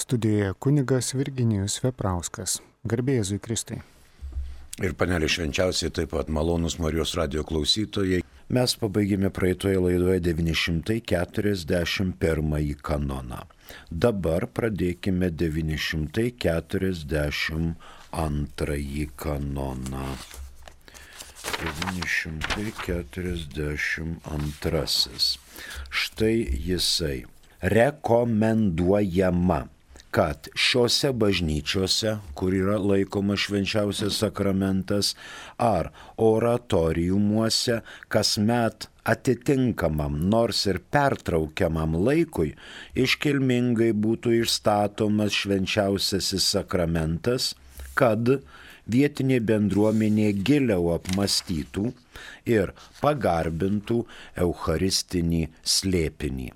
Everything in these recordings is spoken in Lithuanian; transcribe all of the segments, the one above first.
Studijoje kunigas Virginijus Veprauskas. Garbė Jėzui Kristui. Ir panelė švenčiausiai taip pat malonūs Marijos radijo klausytojai. Mes pabaigėme praeitoje laidoje 941 kanoną. Dabar pradėkime 942 kanoną. 942. Štai jisai. Rekomenduojama, kad šiuose bažnyčiose, kur yra laikomas švenčiausias sakramentas, ar oratoriumuose kasmet atitinkamam, nors ir pertraukiamam laikui, iškilmingai būtų išstatomas švenčiausiasis sakramentas, kad vietinė bendruomenė giliau apmąstytų ir pagarbintų eucharistinį slėpinį.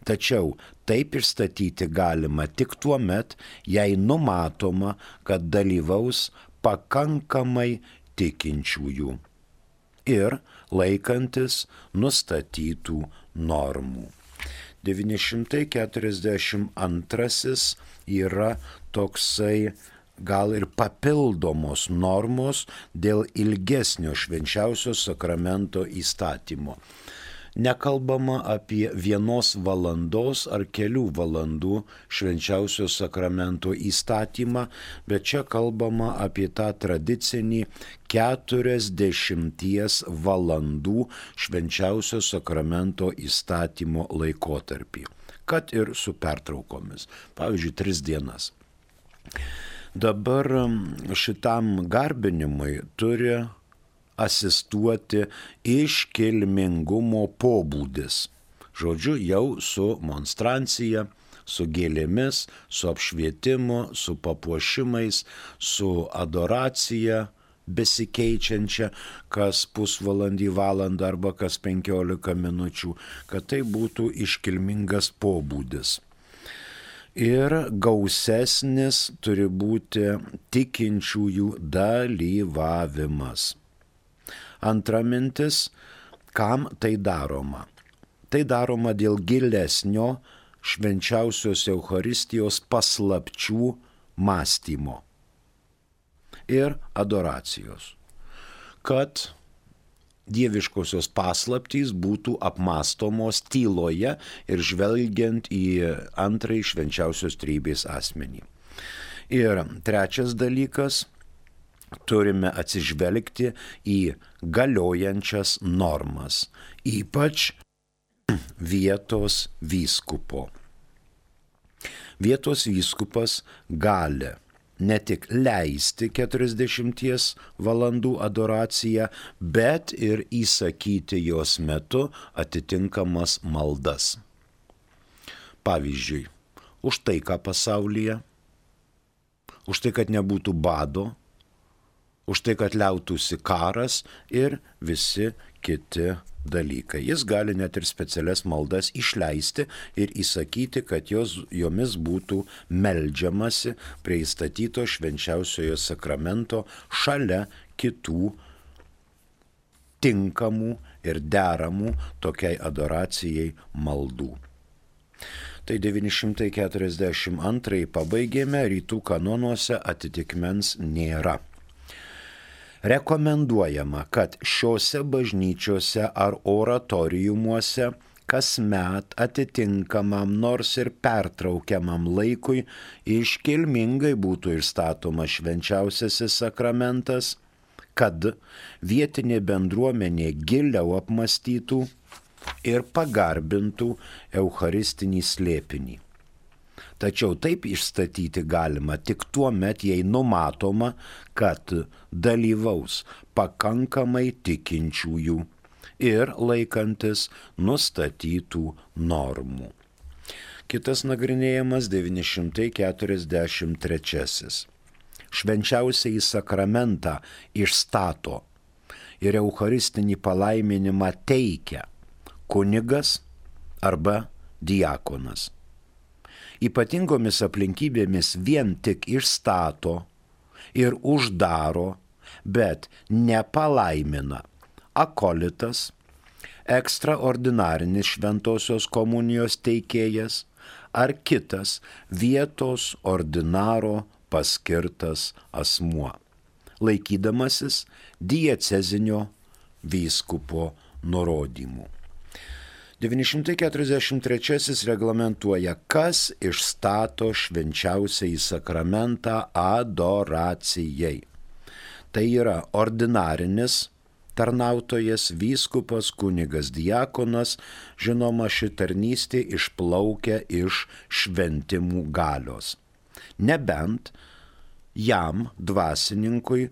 Tačiau taip išstatyti galima tik tuo met, jei numatoma, kad dalyvaus pakankamai tikinčiųjų ir laikantis nustatytų normų. 942 yra toksai gal ir papildomos normos dėl ilgesnio švenčiausio sakramento įstatymo. Nekalbama apie 1 valandos ar kelių valandų švenčiausio sakramento įstatymą, bet čia kalbama apie tą tradicinį 40 valandų švenčiausio sakramento įstatymo laikotarpį, kad ir su pertraukomis, pavyzdžiui, 3 dienas. Dabar šitam garbinimui turi asistuoti iškilmingumo pobūdis. Žodžiu, jau su monstrancija, su gėlėmis, su apšvietimu, su papuošimais, su adoracija besikeičiančia kas pusvalandį, valandą arba kas 15 minučių, kad tai būtų iškilmingas pobūdis. Ir gausesnis turi būti tikinčiųjų dalyvavimas. Antra mintis, kam tai daroma? Tai daroma dėl gilesnio švenčiausios Eucharistijos paslapčių mąstymo ir adoracijos, kad dieviškosios paslaptys būtų apmąstomos tyloje ir žvelgiant į antrąjį švenčiausios trejybės asmenį. Ir trečias dalykas, turime atsižvelgti į galiojančias normas, ypač vietos vyskupo. Vietos vyskupas gali ne tik leisti 40 valandų adoraciją, bet ir įsakyti jos metu atitinkamas maldas. Pavyzdžiui, už taiką pasaulyje, už tai, kad nebūtų bado, už tai, kad liautųsi karas ir visi kiti dalykai. Jis gali net ir specialias maldas išleisti ir įsakyti, kad jomis būtų meldžiamasi prie įstatyto švenčiausiojo sakramento šalia kitų tinkamų ir deramų tokiai adoracijai maldų. Tai 942 pabaigėme, rytų kanonuose atitikmens nėra. Rekomenduojama, kad šiuose bažnyčiose ar oratoriumuose kasmet atitinkamam nors ir pertraukiamam laikui iškilmingai būtų išstatomas švenčiausiasis sakramentas, kad vietinė bendruomenė giliau apmąstytų ir pagarbintų eucharistinį slėpinį. Tačiau taip išstatyti galima tik tuo met, jei numatoma, kad dalyvaus pakankamai tikinčiųjų ir laikantis nustatytų normų. Kitas nagrinėjimas 943. Švenčiausiąjį sakramentą išstato ir eucharistinį palaiminimą teikia kunigas arba diakonas. Ypatingomis aplinkybėmis vien tik išstato ir uždaro, bet nepalaimina akolitas, ekstraordinarinis šventosios komunijos teikėjas ar kitas vietos ordinaro paskirtas asmuo, laikydamasis diecezinio vyskupo nurodymų. 943 reglamentuoja, kas išstato švenčiausiąjį sakramentą adoracijai. Tai yra ordinarinis tarnautojas, vyskupas, kunigas, diakonas, žinoma, ši tarnystė išplaukia iš šventimų galios. Nebent jam, dvasininkui,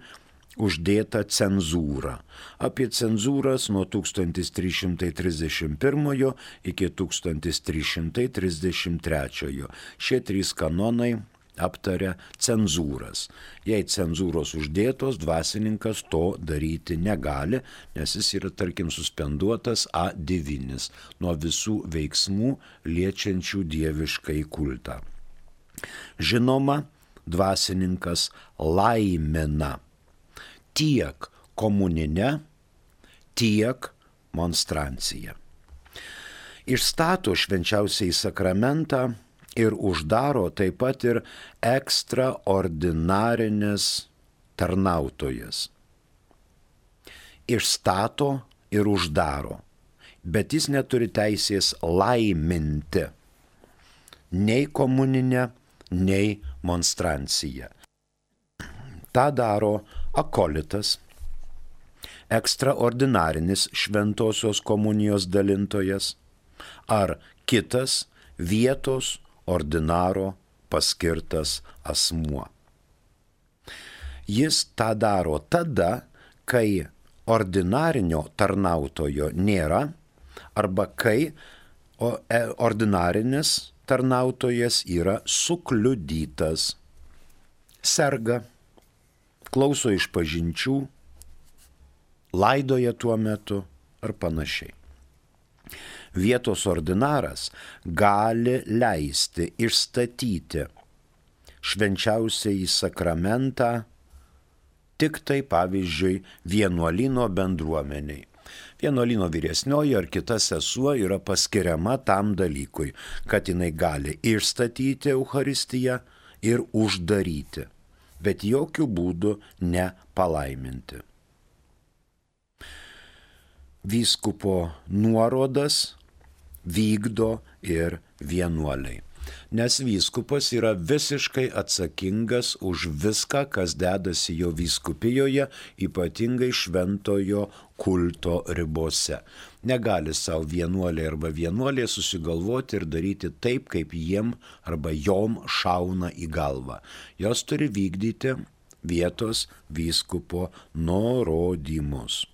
uždėta cenzūra. Apie cenzūras nuo 1331 iki 1333. Šie 3 kanonai aptaria cenzūras. Jei cenzūros uždėtos, dvasininkas to daryti negali, nes jis yra, tarkim, suspenduotas A9 nuo visų veiksmų liečiančių dieviškai kultą. Žinoma, dvasininkas laimina tiek komuninę, tiek monstranciją. Išstato švenčiausiąjį sakramentą ir uždaro taip pat ir ekstraordinarinis tarnautojas. Išstato ir uždaro, bet jis neturi teisės laiminti nei komuninę, nei monstranciją. Ta daro akolitas, ekstraordinarinis šventosios komunijos dalintojas ar kitas vietos ordinaro paskirtas asmuo. Jis tą daro tada, kai ordinarinio tarnautojo nėra arba kai ordinarinis tarnautojas yra sukliudytas, serga, klauso išpažinčių, laidoja tuo metu ar panašiai. Vietos ordinaras gali leisti išstatyti švenčiausiąjį sakramentą tik tai, pavyzdžiui, vienuolyno bendruomeniai. Vienuolyno vyresnioji ar kita sesuo yra paskiriama tam dalykui, kad jinai gali išstatyti Eucharistiją ir uždaryti, bet jokių būdų nepalaiminti. Vyskupo nuorodas vykdo ir vienuoliai, nes vyskupas yra visiškai atsakingas už viską, kas dedasi jo vyskupijoje, ypatingai šventojo kulto ribose. Negali savo vienuoliai arba vienuolė susigalvoti ir daryti taip, kaip jiem arba jom šauna į galvą. Jos turi vykdyti vietos vyskupo nurodymus.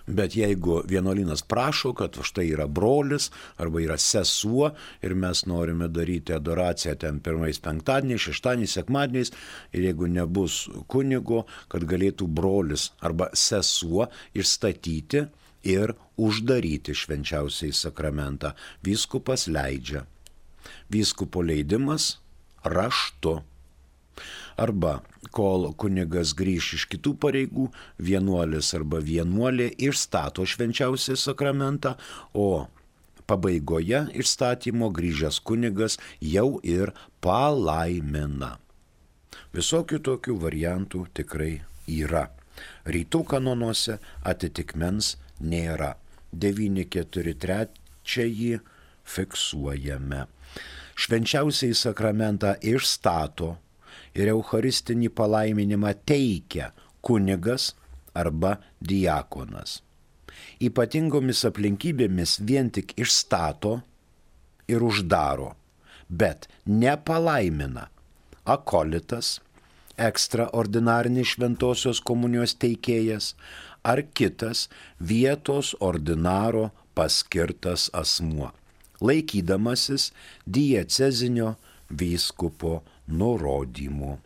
Bet jeigu vienuolynas prašo, kad štai yra brolis arba yra sesuo ir mes norime daryti adoraciją ten pirmais penktadieniais, šeštadieniais, sekmadieniais ir jeigu nebus kunigo, kad galėtų brolis arba sesuo išstatyti ir uždaryti švenčiausiąjį sakramentą, vyskupas leidžia. Vyskupo leidimas raštu. Arba kol kunigas grįš iš kitų pareigų, vienuolis arba vienuolė išstato švenčiausią sakramentą, o pabaigoje išstatymo grįžęs kunigas jau ir palaimina. Visokių tokių variantų tikrai yra. Rytų kanonuose atitikmens nėra. 943 fiksuojame. Švenčiausiąjį sakramentą išstato ir eucharistinį palaiminimą teikia kunigas arba diakonas. Ypatingomis aplinkybėmis vien tik išstato ir uždaro, bet nepalaimina akolitas, ekstraordinarinis šventosios komunijos teikėjas ar kitas vietos ordinaro paskirtas asmuo, laikydamasis diecezinio vyskupo nurodymų.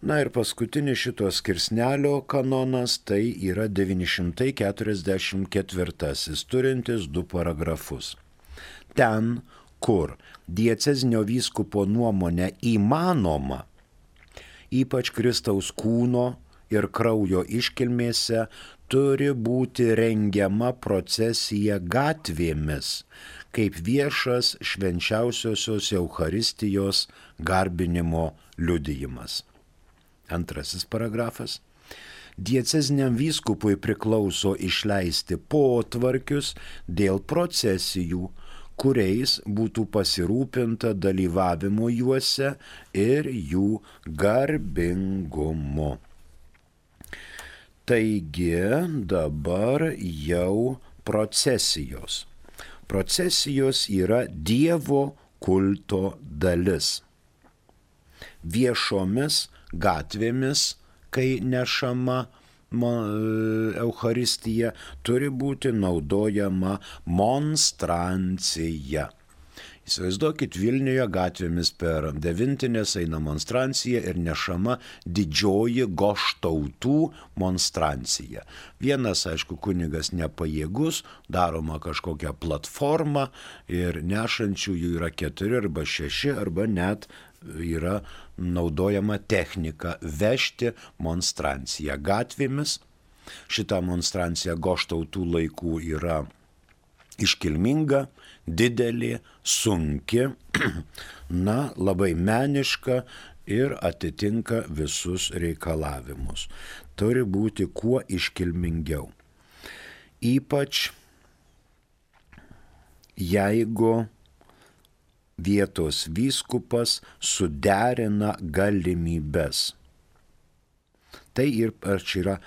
Na ir paskutinis šito skirsnelio kanonas tai yra 944, turintis 2 paragrafus. Ten, kur diecezinio vyskupo nuomonė įmanoma, ypač Kristaus kūno ir kraujo iškilmėse, turi būti rengiama procesija gatvėmis, kaip viešas švenčiausiosios Eucharistijos garbinimo liudijimas. Antrasis paragrafas. Dieceziniam vyskupui priklauso išleisti potvarkius dėl procesijų, kuriais būtų pasirūpinta dalyvavimo juose ir jų garbingumu. Taigi dabar jau procesijos. Procesijos yra Dievo kulto dalis. Viešomis gatvėmis, kai nešama Eucharistija, turi būti naudojama monstrancija. Įsivaizduokit, Vilniuje gatvėmis per Devintinės eina monstrancija ir nešama didžioji goštautų monstrancija. Vienas, aišku, kunigas nepajėgus, daroma kažkokia platforma ir nešančiųjų yra 4 arba 6 arba net yra naudojama technika vežti monstranciją gatvėmis. Šita monstrancija goštautų laikų yra iškilminga, didelė, sunki, labai meniška ir atitinka visus reikalavimus. Turi būti kuo iškilmingiau. Ypač jeigu vietos vyskupas suderina galimybes. Tai ir čia yra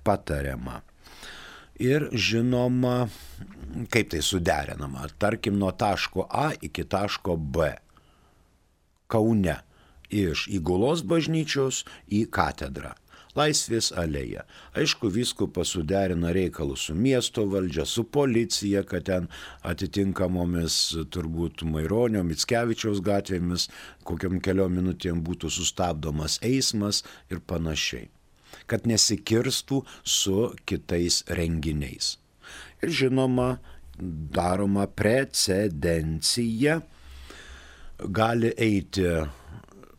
patariama. Ir žinoma, kaip tai suderinama. Tarkim, nuo taško A iki taško B. Kaune. Iš Įgulos bažnyčios į katedrą. Laisvės alėja. Aišku, vyskupas suderina reikalus su miesto valdžia, su policija, kad ten atitinkamomis turbūt Maironio, Mickevičiaus gatvėmis kokiam keliom minutėm būtų sustabdomas eismas ir panašiai. Kad nesikirstų su kitais renginiais. Ir žinoma, daroma precedencija, gali eiti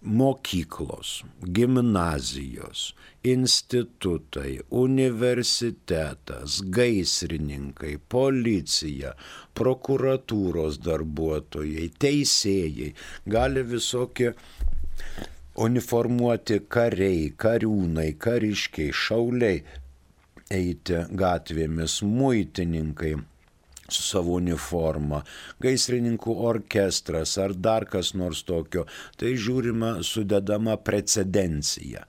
mokyklos, gimnazijos, institutai, universitetas, gaisrininkai, policija, prokuratūros darbuotojai, teisėjai, gali visokie uniformuoti kariai, kariūnai, kariškiai, šauliai eiti gatvėmis, muitininkai su savo uniforma, gaisrininkų orkestras ar dar kas nors tokio. Tai žiūrima sudedama precedencija,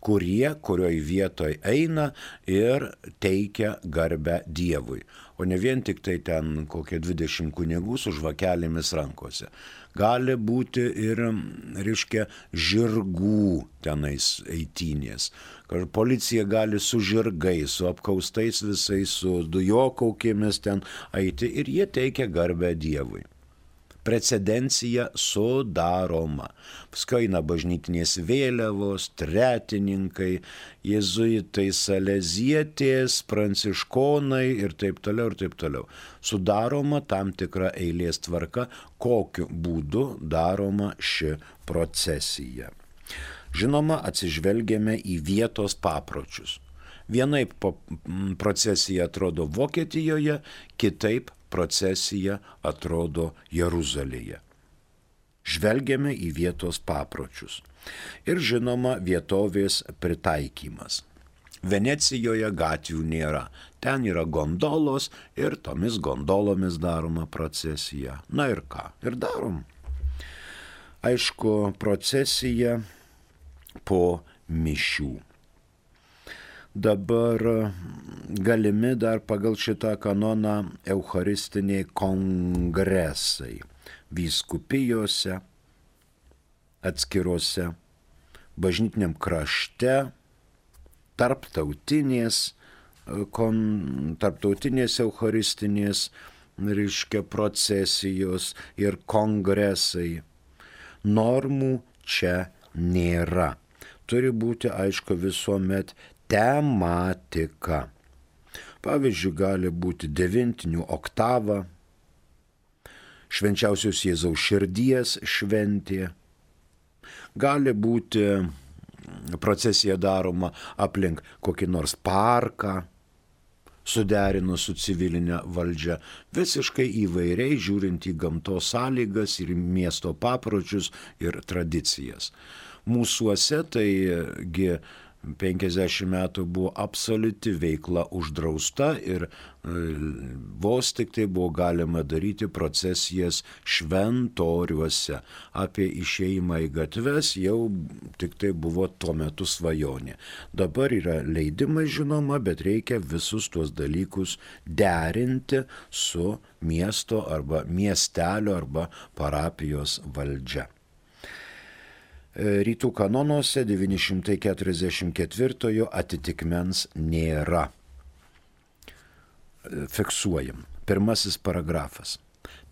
kurioj vietoj eina ir teikia garbę Dievui. O ne vien tik tai ten kokie 20 kunigų su žvakelėmis rankose. Gali būti ir, žirgų tenais eitynės. Policija gali su žirgais, su apkaustais visais, su dujokaukėmis ten eiti ir jie teikia garbę Dievui. Precedencija sudaroma. Paskui eina bažnytinės vėliavos, tretininkai, jėzuitai, salezietės, pranciškonai ir taip toliau ir taip toliau. Sudaroma tam tikra eilės tvarka, kokiu būdu daroma ši procesija. Žinoma, atsižvelgiame į vietos papročius. Vienaip procesija atrodo Vokietijoje, kitaip procesija atrodo Jeruzalėje. Žvelgiame į vietos papročius. Ir žinoma, vietovės pritaikymas. Venecijoje gatvių nėra. Ten yra gondolos ir tomis gondolomis daroma procesija. Na ir ką? Ir darom. Aišku, procesija po mišių. Dabar galimi dar pagal šitą kanoną eucharistiniai kongresai vyskupijose, atskiruose, bažnytiniam krašte, tarptautinės eucharistinės, procesijos ir kongresai. Normų čia nėra. Turi būti, aišku, visuomet tematika. Pavyzdžiui, gali būti devintinių oktava, švenčiausios Jėzaus širdies šventė, gali būti procesija daroma aplink kokį nors parką, suderinus su civilinė valdžia, visiškai įvairiai žiūrint į gamtos sąlygas ir miesto papročius ir tradicijas. Mūsuose taigi 50 metų buvo absoliuti veikla uždrausta ir vos tik tai buvo galima daryti procesijas šventoriuose. Apie išėjimą į gatves jau tik tai buvo tuo metu svajonė. Dabar yra leidimai žinoma, bet reikia visus tuos dalykus derinti su miesto arba miestelio arba parapijos valdžia. Rytų kanonuose 944 atitikmens nėra. Fiksuojam. Pirmasis paragrafas.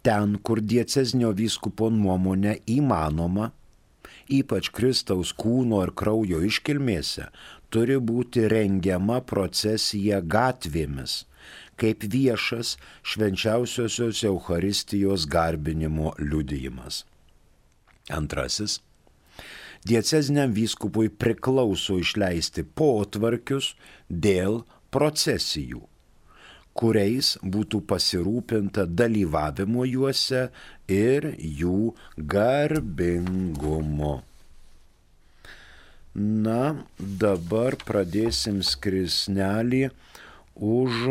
Ten, kur diecezinio vyskupo nuomonė įmanoma, ypač Kristaus kūno ir kraujo iškilmėse, turi būti rengiama procesija gatvėmis, kaip viešas švenčiausiosios Eucharistijos garbinimo liudijimas. Antrasis. Dieceziniam vyskupui priklauso išleisti potvarkius dėl procesijų, kuriais būtų pasirūpinta dalyvavimo juose ir jų garbingumo. Na, dabar pradėsim skirsnelį už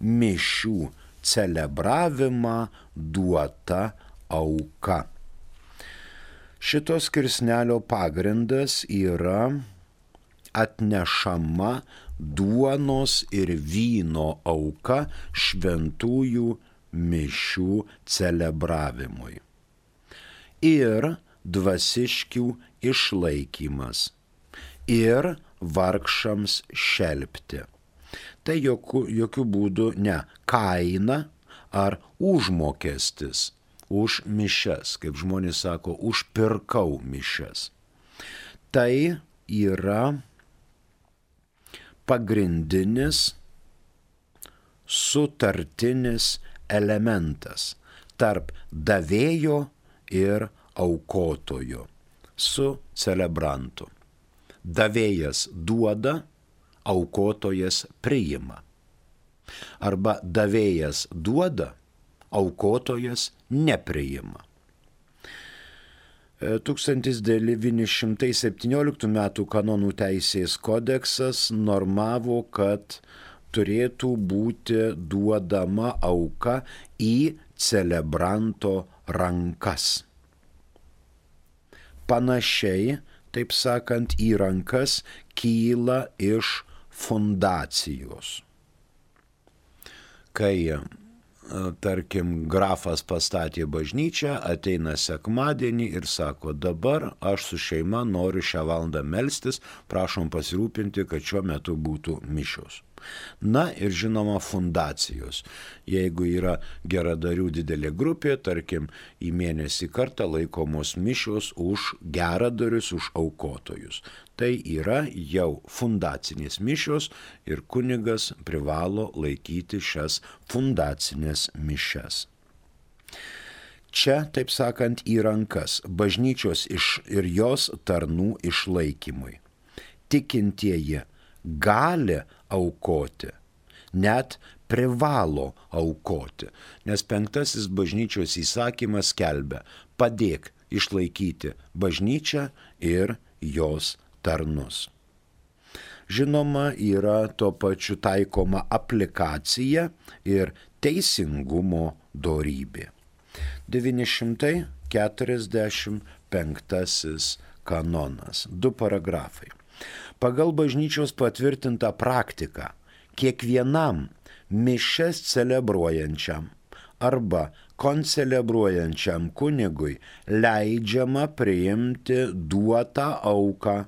mišių celebravimą duota auka. Šitos skirsnelio pagrindas yra atnešama duonos ir vyno auka šventųjų mišių celebravimui ir dvasiškių išlaikymas ir vargšams šelpti. Tai jokių būdų ne kaina ar užmokestis už mišias, kaip žmonės sako, užpirkau mišias. Tai yra pagrindinis sutartinis elementas tarp davėjo ir aukotojo su celebrantu. Davėjas duoda, aukotojas priima. Arba davėjas duoda, aukotojas nepriima. 1917 m. kanonų teisės kodeksas normavo, kad turėtų būti duodama auka į celebranto rankas. Panašiai, taip sakant, į rankas kyla iš fundacijos. Kai tarkim, grafas pastatė bažnyčią, ateina sekmadienį ir sako, dabar aš su šeima noriu šią valandą melstis, prašom pasirūpinti, kad šiuo metu būtų mišios. Na ir žinoma fundacijos. Jeigu yra geradarių didelė grupė, tarkim, į mėnesį kartą laikomos mišios už geradarius, už aukotojus. Tai yra jau fundacinės mišios ir kunigas privalo laikyti šias fundacinės mišias. Čia, taip sakant, į rankas bažnyčios ir jos tarnų išlaikymui. Tikintieji gali aukoti, net privalo aukoti, nes 5 bažnyčios įsakymas skelbia, padėk išlaikyti bažnyčią ir jos tarnus. Žinoma, yra tuo pačiu taikoma aplikacija ir teisingumo dorybė. 945 kanonas, 2 paragrafai. Pagal bažnyčios patvirtintą praktiką, kiekvienam mišias celebruojančiam arba koncelebruojančiam kunigui leidžiama priimti duotą auką,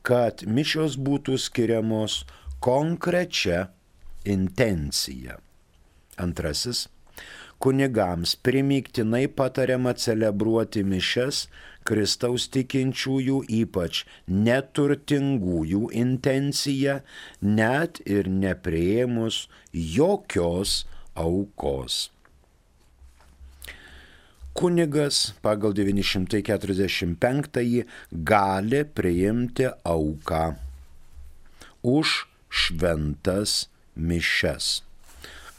kad mišios būtų skiriamos konkrečia intencija. Antrasis. Kunigams primygtinai patariama celebruoti mišias Kristaus tikinčiųjų, ypač neturtingųjų intencija, net ir nepriėmus jokios aukos. Kunigas pagal 945 gali priimti auką už šventas mišias.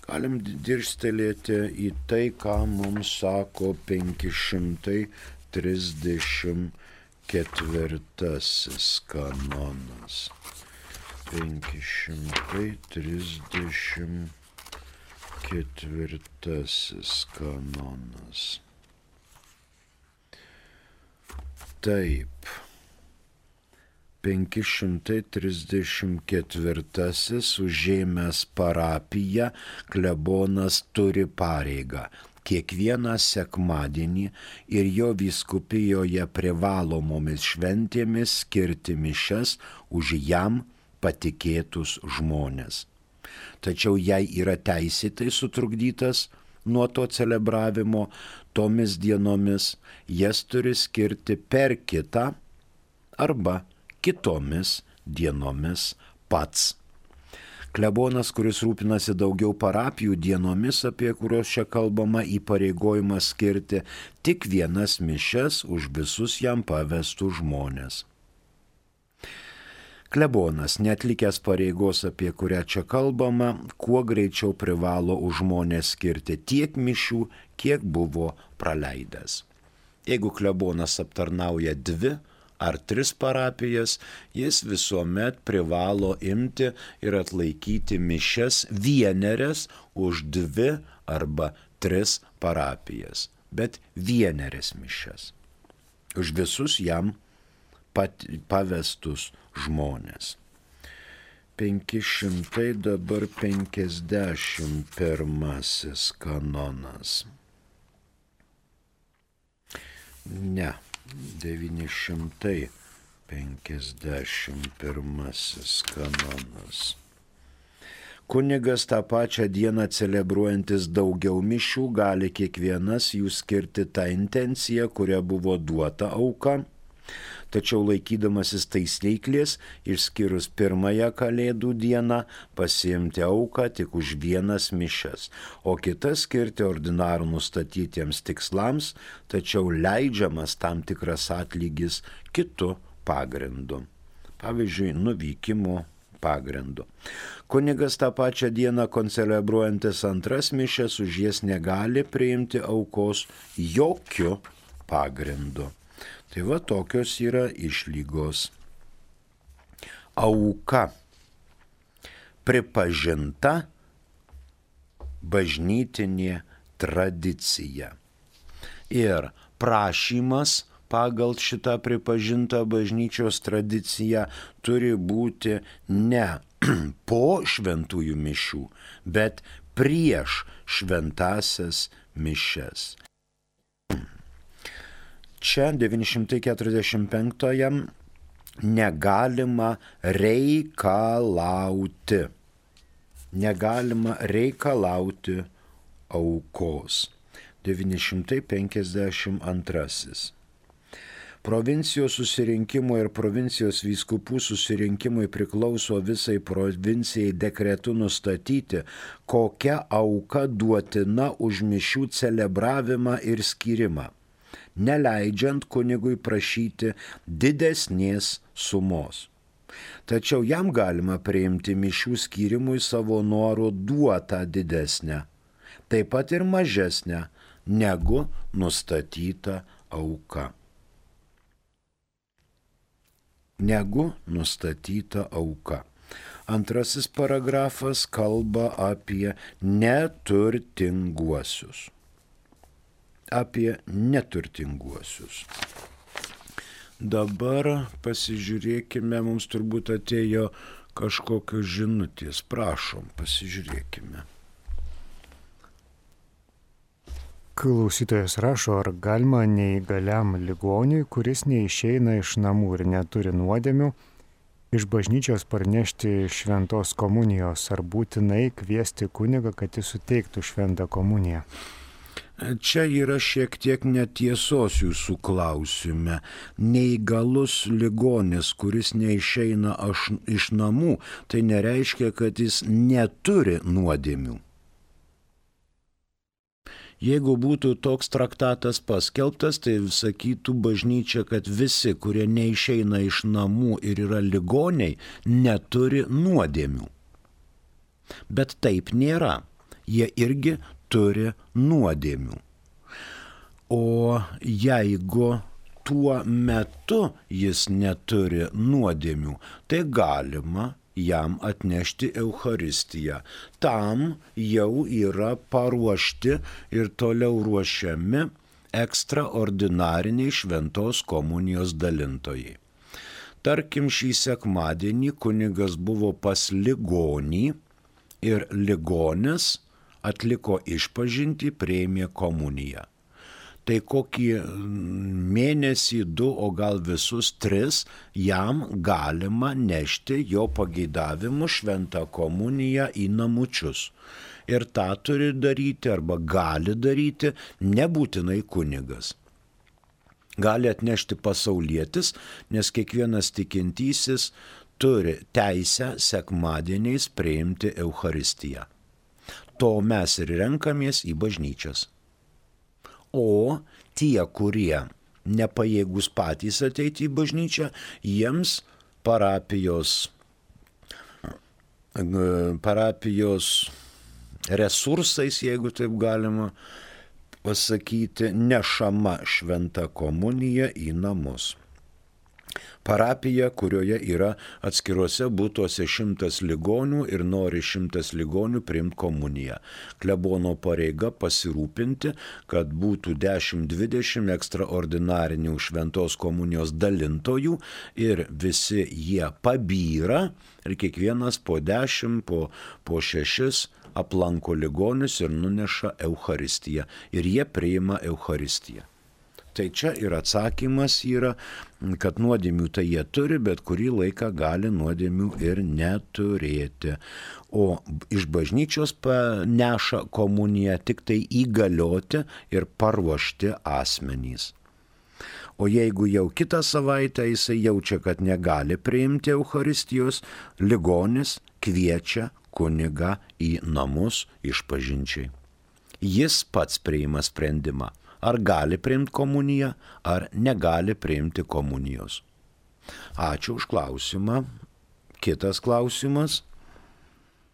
Galim dirstelėti į tai, ką mums sako 534 kanonas. 534 kanonas. Taip. 534 užėmęs parapiją klebonas turi pareigą kiekvieną sekmadienį ir jo vyskupijoje privalomomis šventėmis skirti mišias už jam patikėtus žmones. Tačiau jei yra teisėtai sutrukdytas nuo to celebravimo, tomis dienomis jas turi skirti per kitą arba kitomis dienomis pats. Klebonas, kuris rūpinasi daugiau parapijų dienomis, apie kurios čia kalbama, įpareigojimas skirti tik vienas mišias už visus jam pavestus žmones. Klebonas, neatlikęs pareigos, apie kurią čia kalbama, kuo greičiau privalo už žmonės skirti tiek mišių, kiek buvo praleidęs. Jeigu klebonas aptarnauja 2 ar 3 parapijas, jis visuomet privalo imti ir atlaikyti mišias vienerias už 2 arba 3 parapijas, bet vienerias mišias už visus jam pavestus žmonės. 551 kanonas. Ne. 951 kanonas. Kunigas tą pačią dieną celebruojantis daugiau mišių gali kiekvienas jų skirti tą intenciją, kuria buvo duota auka, tačiau laikydamasis taisyklės, išskyrus pirmąją Kalėdų dieną, pasiimti auką tik už vienas mišias, o kitas skirti ordinarų nustatytiems tikslams, tačiau leidžiamas tam tikras atlygis kitu pagrindu. Pavyzdžiui, nuvykimo pagrindu. Kunigas tą pačią dieną koncelebruojantis 2 mišias už jas negali priimti aukos jokiu pagrindu. Tai va tokios yra išlygos. Auka pripažinta bažnytinė tradicija. Ir prašymas pagal šitą pripažintą bažnyčios tradiciją turi būti ne po šventųjų mišių, bet prieš šventąsias mišias. Čia 945 negalima reikalauti. Negalima reikalauti aukos. 952. Provincijos susirinkimo ir provincijos vyskupų susirinkimui priklauso visai provincijai dekretu nustatyti, kokia auka duotina už mišių celebravimą ir skyrimą, neleidžiant kunigui prašyti didesnės sumos. Tačiau jam galima priimti mišių skyrimui savo noru duotą didesnę, taip pat ir mažesnę negu nustatyta auka. Antrasis paragrafas kalba apie neturtinguosius. Dabar pasižiūrėkime, mums turbūt atėjo kažkokios žinutės. Prašom, pasižiūrėkime. Klausytojas rašo, ar galima neįgaliam ligoniui, kuris neišeina iš namų ir neturi nuodėmių, iš bažnyčios parnešti šventos komunijos, ar būtinai kviesti kunigą, kad jis suteiktų šventą komuniją? Čia yra šiek tiek netiesos jūsų klausime. Neįgalus ligonis, kuris neišeina iš namų, tai nereiškia, kad jis neturi nuodėmių. Jeigu būtų toks traktatas paskelbtas, tai sakytų bažnyčia, kad visi, kurie neišeina iš namų ir yra ligoniai, neturi nuodėmių. Bet taip nėra. Jie irgi turi nuodėmių. O jeigu tuo metu jis neturi nuodėmių, tai galima jam atnešti Eucharistiją. Tam jau yra paruošti ir toliau ruošiami ekstraordinariniai šventos komunijos dalintojai. Tarkim, šį sekmadienį kunigas buvo pas ligonį ir ligonis atliko išpažintį, priėmė komuniją. Tai kokį mėnesį, 2, o gal visus 3 jam galima nešti jo pageidavimu šventą komuniją į namučius. Ir tą turi daryti arba gali daryti nebūtinai kunigas. Gali atnešti pasaulietis, nes kiekvienas tikintysis turi teisę sekmadieniais priimti Eucharistiją. To mes ir renkamės į bažnyčias. O tie, kurie nepajėgus patys ateiti į bažnyčią, jiems parapijos resursais, jeigu taip galima pasakyti, nešama šventa komunija į namus. Parapija, kurioje yra atskiruose būtuose 100 ligonių ir nori 100 ligonių priimti komuniją. Klebono pareiga pasirūpinti, kad būtų 10-20 ekstraordinarinių šventos komunijos dalintojų ir visi jie pabyra ir kiekvienas po 10, po 6 aplanko ligonius ir nuneša Eucharistiją ir jie priima Eucharistiją. Tai čia ir atsakymas yra, kad nuodėmių tai jie turi, bet kurį laiką gali nuodėmių ir neturėti. O iš bažnyčios neša komuniją tik tai įgalioti ir paruošti asmenys. O jeigu jau kitą savaitę jisai jaučia, kad negali priimti Eucharistijos, ligonis kviečia kunigą į namus išpažinčiai. Jis pats priima sprendimą. Ar gali priimti komuniją, ar negali priimti komunijos. Ačiū už klausimą. Kitas klausimas.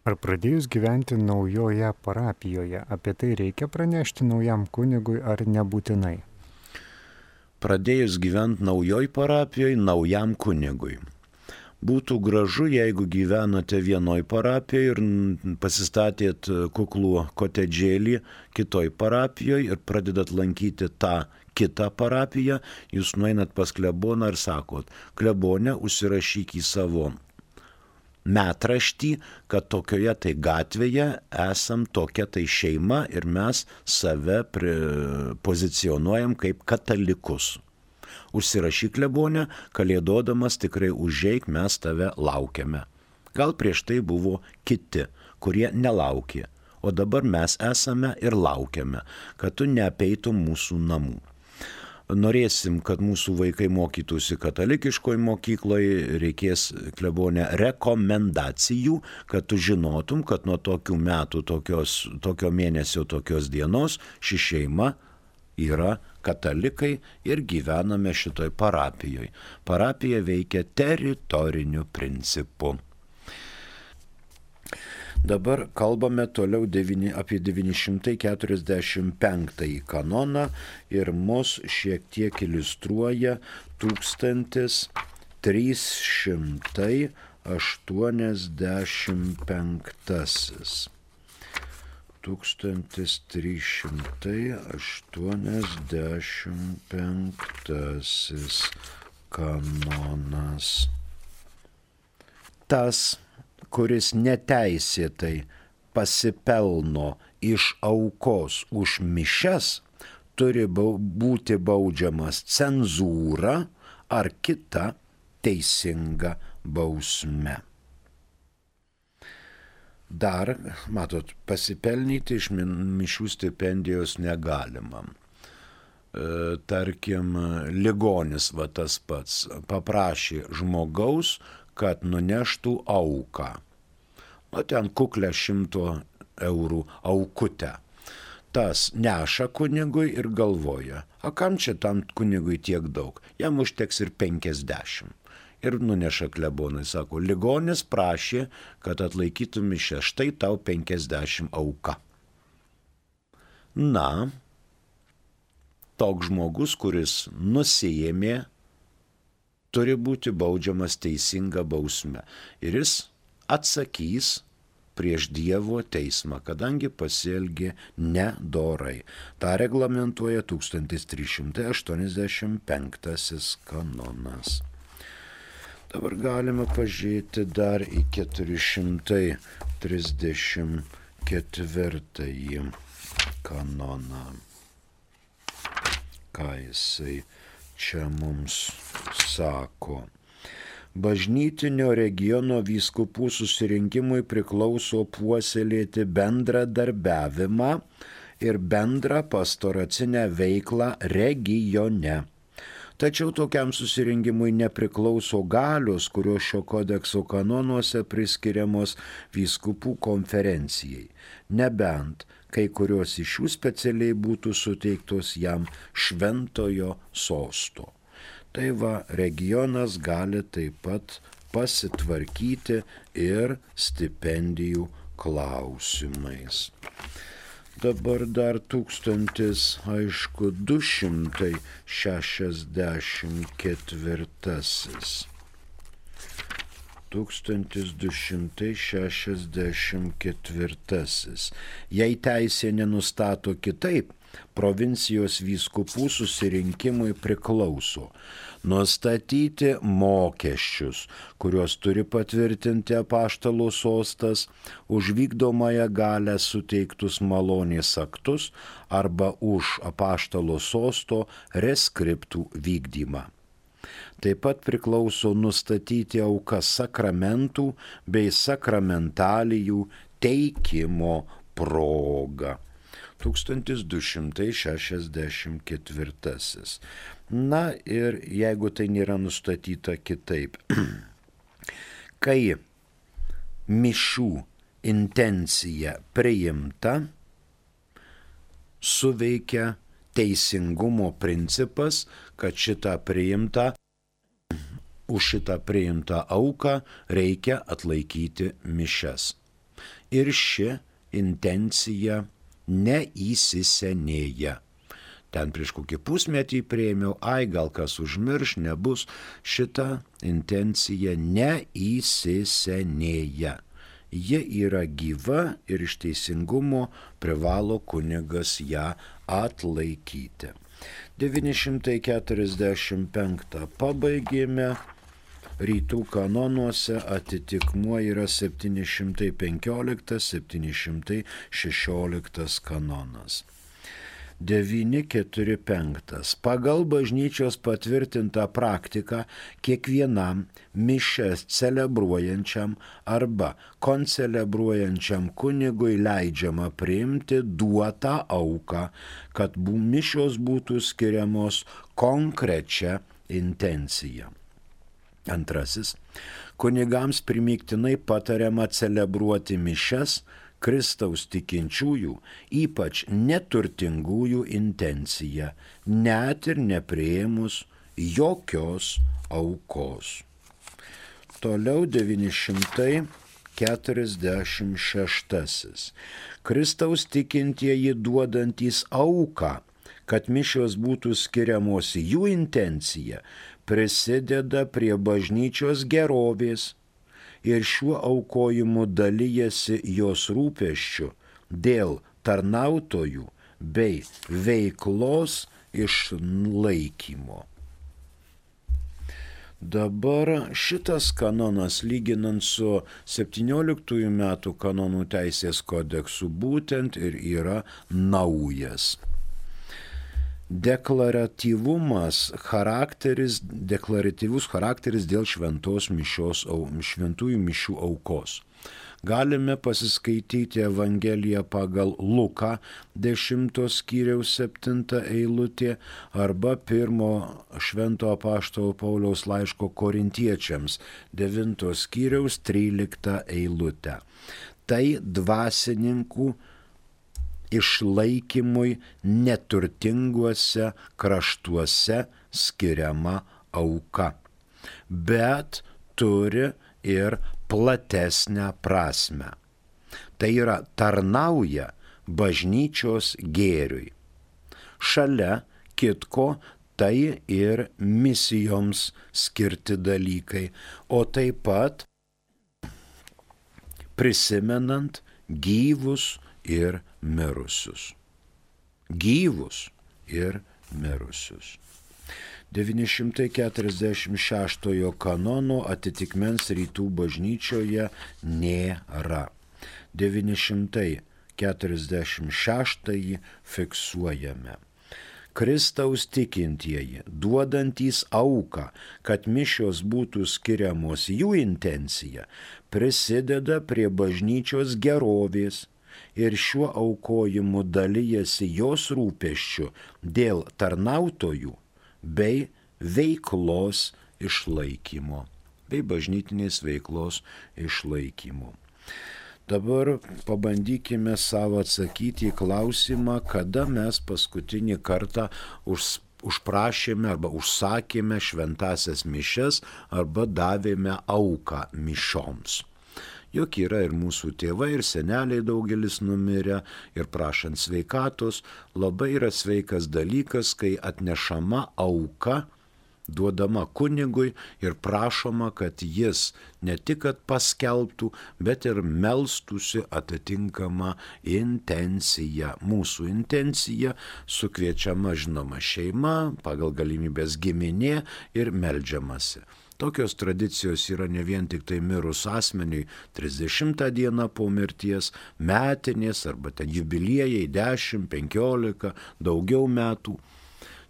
Ar pradėjus gyventi naujoje parapijoje, apie tai reikia pranešti naujam kunigui ar nebūtinai? Pradėjus gyventi naujoj parapijoje, naujam kunigui. Būtų gražu, jeigu gyvenate vienoj parapijoje ir pasistatėt kuklų kotedžėlį kitoj parapijoje ir pradedat lankyti tą kitą parapiją, jūs nueinat pas kleboną ir sakot, klebone, užsirašyk į savo metraštį, kad tokioje tai gatvėje esam tokia tai šeima ir mes save pozicionuojam kaip katalikus. Užsirašyk klebone, kalėdodamas tikrai užeik, mes tave laukiame. Gal prieš tai buvo kiti, kurie nelaukė, o dabar mes esame ir laukiame, kad tu neapeitum mūsų namų. Norėsim, kad mūsų vaikai mokytųsi katalikiškoje mokykloje, reikės klebone rekomendacijų, kad tu žinotum, kad nuo tokių metų, tokio mėnesio, tokios dienos ši šeima yra katalikai ir gyvename šitoj parapijoje. Parapija veikia teritoriniu principu. Dabar kalbame toliau apie 945 kanoną ir mus šiek tiek iliustruoja 1385. 1385 kanonas. Tas, kuris neteisėtai pasipelno iš aukos už mišias, turi būti baudžiamas cenzūra ar kita teisinga bausme. Dar, matot, pasipelnyti iš mišių stipendijos negalima. Tarkim, ligonis va tas pats paprašė žmogaus, kad nuneštų auką. O ten kuklę 100 eurų aukutę. Tas neša kunigui ir galvoja, a kam čia tam kunigui tiek daug, jam užteks ir 50. ir nuneša klebonai. Sako, ligonis prašė, kad atlaikytų mišias, štai tau 50 auka. Na, toks žmogus, kuris nusiėmė, turi būti baudžiamas teisinga bausme. Ir jis atsakys prieš Dievo teismą, kadangi pasielgė nedorai. Ta reglamentuoja 1385 kanonas. Dabar galime pažiūrėti dar į 434 kanoną. Ką jisai čia mums sako? Bažnytinio regiono vyskupų susirinkimui priklauso puoselėti bendradarbiavimą ir bendrą pastoracinę veiklą regione. Tačiau tokiam susirinkimui nepriklauso galios, kurios šio kodekso kanonuose priskiriamos vyskupų konferencijai, nebent kai kurios iš jų specialiai būtų suteiktos jam šventojo sosto. Tai va, regionas gali taip pat pasitvarkyti ir stipendijų klausimais. Dabar dar 1264. 1264. Jei teisė nenustato kitaip, provincijos vyskupų susirinkimui priklauso nustatyti mokesčius, kuriuos turi patvirtinti apaštalų sostas, už vykdomąją galę suteiktus malonės aktus arba už apaštalo sosto reskriptų vykdymą. Taip pat priklauso nustatyti aukas sakramentų bei sakramentalijų teikimo proga. 1264. Na ir jeigu tai nėra nustatyta kitaip, kai mišių intencija priimta, suveikia teisingumo principas, kad už šitą priimtą auką reikia atlaikyti mišias. Ir ši intencija neįsisenėja. Ten prieš kokį pusmetį priėmiau, gal kas užmirš, nebus, šita intencija neįsisenėja. Ji yra gyva ir iš teisingumo privalo kunigas ją atlaikyti. 945 pabaigėme, rytų kanonuose atitikmuo yra 715-716 kanonas. 945. Pagal bažnyčios patvirtintą praktiką kiekvienam mišias celebruojančiam arba koncelebruojančiam kunigui leidžiama priimti duotą auką, kad mišios būtų skiriamos konkrečia intencija. Antrasis. Kunigams primygtinai patariama celebruoti mišias Kristaus tikinčiųjų, ypač neturtingųjų intencija, net ir nepriėmus jokios aukos. Toliau 946. Kristaus tikintieji duodantys auką, kad mišios būtų skiriamos į jų intenciją, prisideda prie bažnyčios gerovės ir šiuo aukojimu dalyjasi jos rūpesčiu dėl tarnautojų bei veiklos išlaikymo. Dabar šitas kanonas, lyginant su 17 metų kanonų teisės kodeksu, būtent ir yra naujas. Deklaratyvus charakteris dėl šventųjų mišių aukos. Galime pasiskaityti Evangeliją pagal Luką 10 skyriaus 7 eilutė arba 1 švento apaštalo Pauliaus laiško Korintiečiams 9 skyriaus 13 eilutę. Tai dvasininkų išlaikymui neturtinguose kraštuose skiriama auka. bet turi ir platesnę prasme. Tai yra tarnauja bažnyčios gėriui. Šalia kitko tai ir misijoms skirti dalykai, o taip pat prisimenant gyvus ir mirusius. Gyvus ir mirusius. 946 kanono atitikmens rytų bažnyčioje nėra. 946 fiksuojame. Kristaus tikintieji, duodantys auką, kad mišios būtų skiriamos jų intencija, prisideda prie bažnyčios gerovės ir šiuo aukojimu dalyjasi jos rūpesčiu dėl tarnautojų bei veiklos išlaikymo, bei bažnytinės veiklos išlaikymo. Dabar pabandykime savo atsakyti į klausimą, kada mes paskutinį kartą užprašėme arba užsakėme šventasias mišias arba davėme auką mišioms. Juk yra ir mūsų tėvai, ir seneliai daugelis numirę, ir prašant sveikatos, labai yra sveikas dalykas, kai atnešama auka, duodama kunigui ir prašoma, kad jis ne tik kad paskelbtų, bet ir melstųsi atitinkamą intenciją. Mūsų intencija sukviečiama, žinoma, šeima, pagal galimybės giminė ir meldžiamasi. Tokios tradicijos yra ne vien tik tai mirus asmeniui 30 dieną po mirties, metinės arba ten jubiliejai 10, 15, daugiau metų.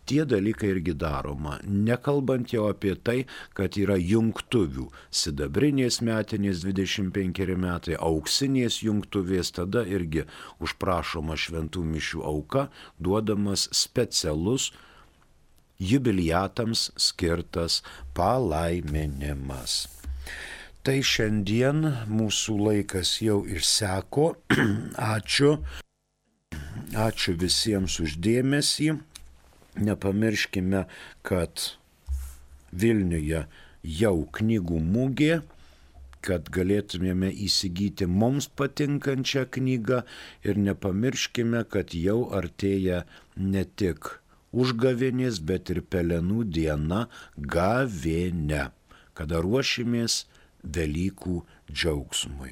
Tie dalykai irgi daroma, nekalbant jau apie tai, kad yra jungtuvių, sidabrinės metinės 25 metai, auksinės jungtuvės, tada irgi užprašoma šventų mišių auka, duodamas specialus jubiliatams skirtas palaiminimas. Tai šiandien mūsų laikas jau išseko. Ačiū visiems už dėmesį. Nepamirškime, kad Vilniuje jau knygų mugė, kad galėtumėme įsigyti mums patinkančią knygą ir nepamirškime, kad jau artėja ne tik užgavėnės, bet ir pelenų diena gavėnia, kada ruošimės Velykų džiaugsmui.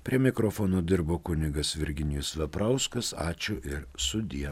Prie mikrofono dirbo kunigas Virginijus Veprauskas. Ačiū ir sudie.